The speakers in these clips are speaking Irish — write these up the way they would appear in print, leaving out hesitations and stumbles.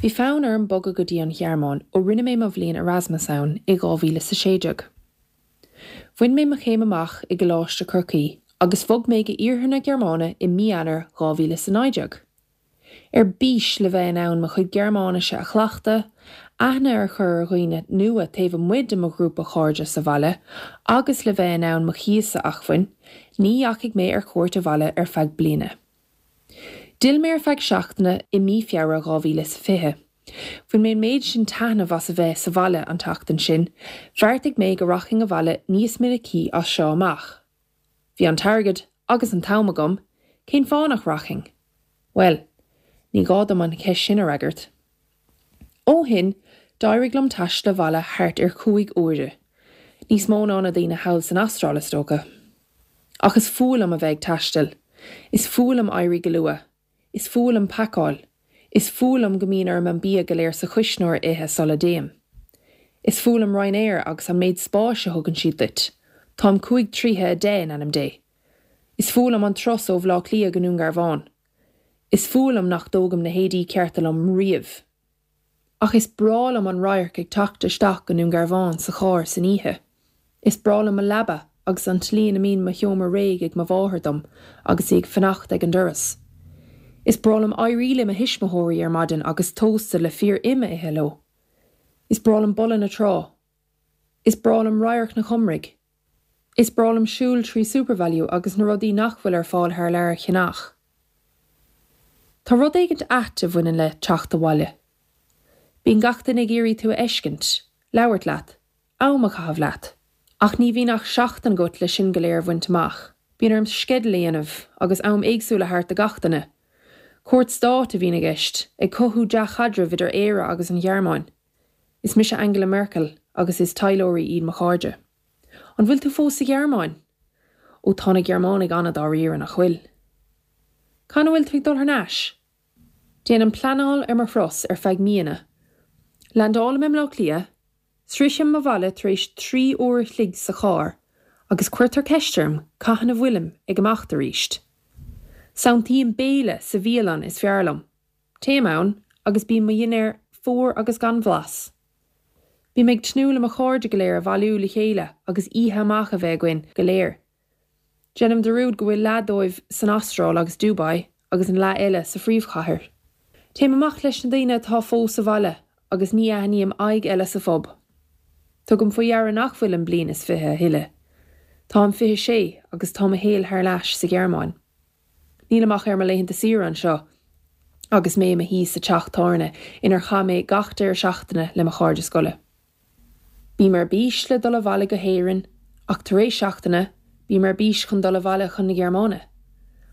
Bhí fonn orm bogadh go dtí an Ghearmáin ó rinne mé mo bhliain Erasmus ann i 2016. Bhain mé mo chéim amach i gColáiste Chorcaí agus bhog mé go iarthar na Gearmáine i mí Eanáir 2019. Ar bís le bheith in ann mo chuid Gearmáinise a chleachtadh, aithne a chur ar dhaoine nua taobh amuigh de mo ghrúpa cairde sa bhaile agus le bheith in ann mo chíos a acmhainn, ní dheachaigh mé ar cuairt abhaile ar feadh bliana. D'fhill mé ar feadh seachtaine i mí Feabhra 2020. Bhain mé an méid sin taitneamh as a bheith sa bhaile an tseachtain sin, bheartaigh mé go rachainn abhaile níos minicí as seo amach. Bhí an t-airgead agus an t-am agam, cén fáth nach rachainn? Bhuel, ní gá dom an cheist sin a fhreagairt. Ó shin, d'éirigh liom taisteal abhaile thart ar chúig uaire. Níos mó ná na daoine thall san Astráil, is dócha. Ach is fuath liom a bheith ag taisteal. Is fuath liom éirí go luath. Is fuath liom pacáil. Is fuath liom go mbíonn orm an bia go léir sa chuisneoir a ithe sula dtéim. Is fuath liom Ryanair agus an méid spáis a thugann siad duit. Táim 5 troithe 10 in ainm Dé. Is fuath liom an turas ó Bhaile Átha Cliath go Dún Garbhán. Is fuath liom nach dtógaim na héadaí cearta liom riamh. Ach is breá liom an radharc ag teacht isteach go Dún Garbhán sa charr san oíche. Is breá liom mo leaba agus an tslí ina mbíonn mo sheomra réidh ag mo mháthair dom agus í ag fanacht ag an doras. Is breá liom éirí le mo thuismitheoirí ar maidin agus tósta le fíor im a ithe leo. Is breá liom boladh na trá. Is breá liom radharc na Cumraigh. Is breá liom siúl trí Supervalu agus na rudaí nach bhfuil ar fáil thar lear a cheannach. Tá rud éigint ait a bhaineann le teacht abhaile. Bíonn gach duine ag iarraidh tú a fheiscint, labhairt leat, am a chaitheamh leat. Ach ní bhíonn ach seachtain agat le sin go léir a bhaint amach. Bíonn orm sceideal a dhéanamh agus am éagsúil a thabhairt do gach duine. Cuairt stáit a bhíonn i gceist, ag cothú dea-chaidrimh idir Éire agus an Ghearmáin. Is mise Angela Merkel agus is taidhleoirí iad mo chairde. An bhfuil tú fós sa Ghearmáin? Ó tá na Gearmánaigh an-dáiríre, nach bhfuil? Cathain a bhfuil tú ag dul thar n-ais? Déanaim pleanáil ar mo thuras ar feadh míonna. Landálaim i mBleá Cliath, sroichim mo bhaile tar éis 3 uair a chloig sa charr agus cuirtear ceist orm cathain a bhfuilim ag imeacht arís. Santaím béile sa bhialann is fearr liom. Téim ann agus bíonn mo dhinnéar fuar agus gan bhlas. Bím ag tnúth le mo chairde go léir a bhailiú le chéile agus oíche amach a bheith againn go léir. Déanaim dearúd go bhfuil leath dóibh san Astráil agus Dubai agus an leath eile sa phríomhchathair. Téim amach leis na daoine atá fós sa bhaile agus ní aithním aghaidh eile sa phub. Tugaim faoi dheara nach bhfuilim bliain is 20 a thuilleadh. Táim 26 agus tá mo shaol thar n-ais sa Ghearmáin. Nílim ach ar mo laethanta saoire anseo agus mé i mo shuí sa teach tábhairne inar chaith mé gach deireadh seachtaine le mo chairde scoile. Bím ar bís le dul abhaile go hÉirinn ach tar éis seachtaine, bím ar bís chun dul abhaile chun na Gearmáine.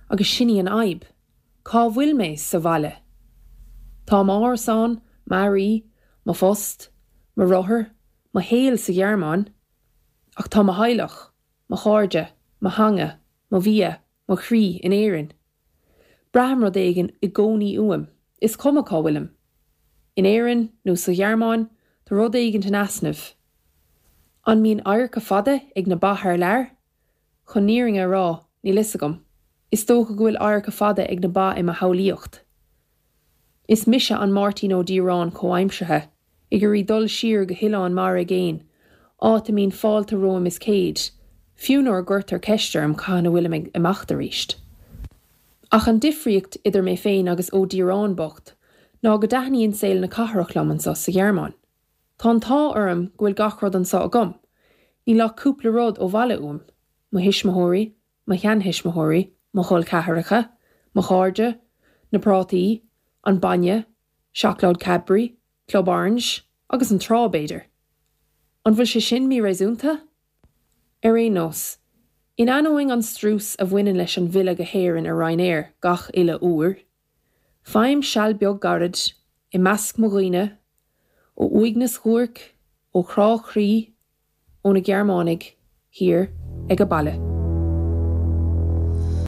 Agus sin í an fhadhb. Cá bhfuil mé sa bhaile? Tá m'árasán, m'earraí, mo phost, mo rothar, mo shaol sa Ghearmáin, ach tá mo theaghlach, mo chairde, mo theanga, mo bhia, mo chroí in Éirinn. Braithim rud éigin i gcónaí uaim, is cuma cá bhfuilim. In Éirinn nó sa Ghearmáin, tá rud éigin in easnamh. An mbíonn adharca fada ag na ba thar lear? Chun an fhírinne a rá, níl fhios agam. Is dócha go bhfuil adharca fada ag na ba i mo shamhlaíocht. Is mise an Máirtín Ó Díreáin comhaimseartha, ag iarraidh dul siar go hoileán mara aigéin, áit a mbíonn fáilte romham is céad, fiú nuair a gcuirtear ceist orm cathain a bhfuilim ag imeacht arís. Ach an difríocht idir mé féin agus Ó Díreáin bocht ná go dtaitníonn saol na cathrach liom anso sa Ghearmáin. Tá an t-ádh orm go bhfuil gach rud anso agam, níl ach cúpla rud ó bhaile uaim, mo thuismitheoirí, mo sheanthuismitheoirí, mo chol ceathracha, mo chairde, na prátaí, an bainne, seacláid Cadbury, Club Orange, agus an trá, b'fhéidir. An bhfuil sé sin míréasúnta? Ar aon nós, in ainneoin an strus a bhaineann leis an bhfilleadh go hÉirinn ar Ryanair gach uile uair, faighim seal beag gairid i measc mo dhaoine, ó uaigneas dhuairc, ó chrá croí, ó na Gearmánaigh thiar age baile.